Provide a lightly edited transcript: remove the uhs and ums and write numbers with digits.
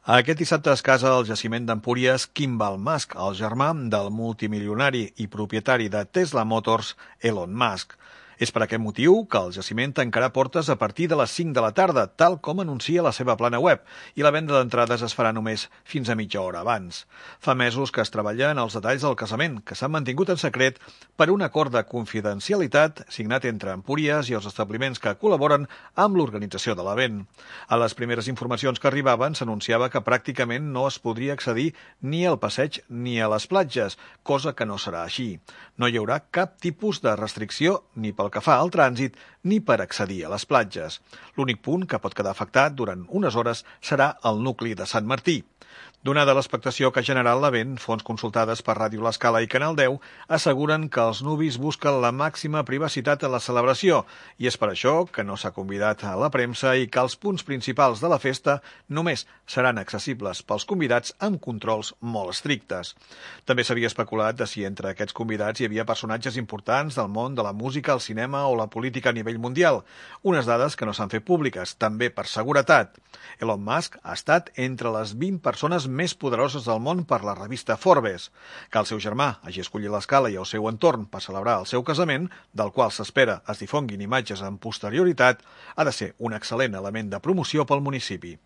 Aquest dissabte es casa al jaciment d'Empúries Kimball Musk, el germà del multimilionari i propietari de Tesla Motors, Elon Musk. És per aquest motiu que el jaciment tancarà portes a partir de les 5 de la tarda, tal com anuncia la seva plana web, i la venda d'entrades es farà només fins a mitja hora abans. Fa mesos que es treballa en els detalls del casament, que s'han mantingut en secret per un acord de confidencialitat signat entre Empúries i els establiments que col·laboren amb l'organització de l'event. A les primeres informacions que arribaven s'anunciava que pràcticament no es podria accedir ni al passeig ni a les platges, cosa que no serà així. No hi haurà cap tipus de restricció ni pel que fa al trànsit ni per accedir a les platges. L'únic punt que pot quedar afectat durant unes hores serà el nucli de Sant Martí. Donada l'expectació que ha generat l'event, fonts consultades per Ràdio L'Escala i Canal 10 asseguren que els nuvis busquen la màxima privacitat en la celebració i és per això que no s'ha convidat a la premsa i que els punts principals de la festa només seran accessibles pels convidats amb controls molt estrictes. També s'havia especulat de si entre aquests convidats hi havia personatges importants del món de la música, el cinema o la política a nivell mundial, unes dades que no s'han fet públiques, també per seguretat. Elon Musk ha estat entre les 20 persones més poderoses del món per la revista Forbes. Que el seu germà hagi escollit l'Escala i el seu entorn per celebrar el seu casament, del qual s'espera es difonguin imatges amb posterioritat, ha de ser un excel·lent element de promoció pel municipi.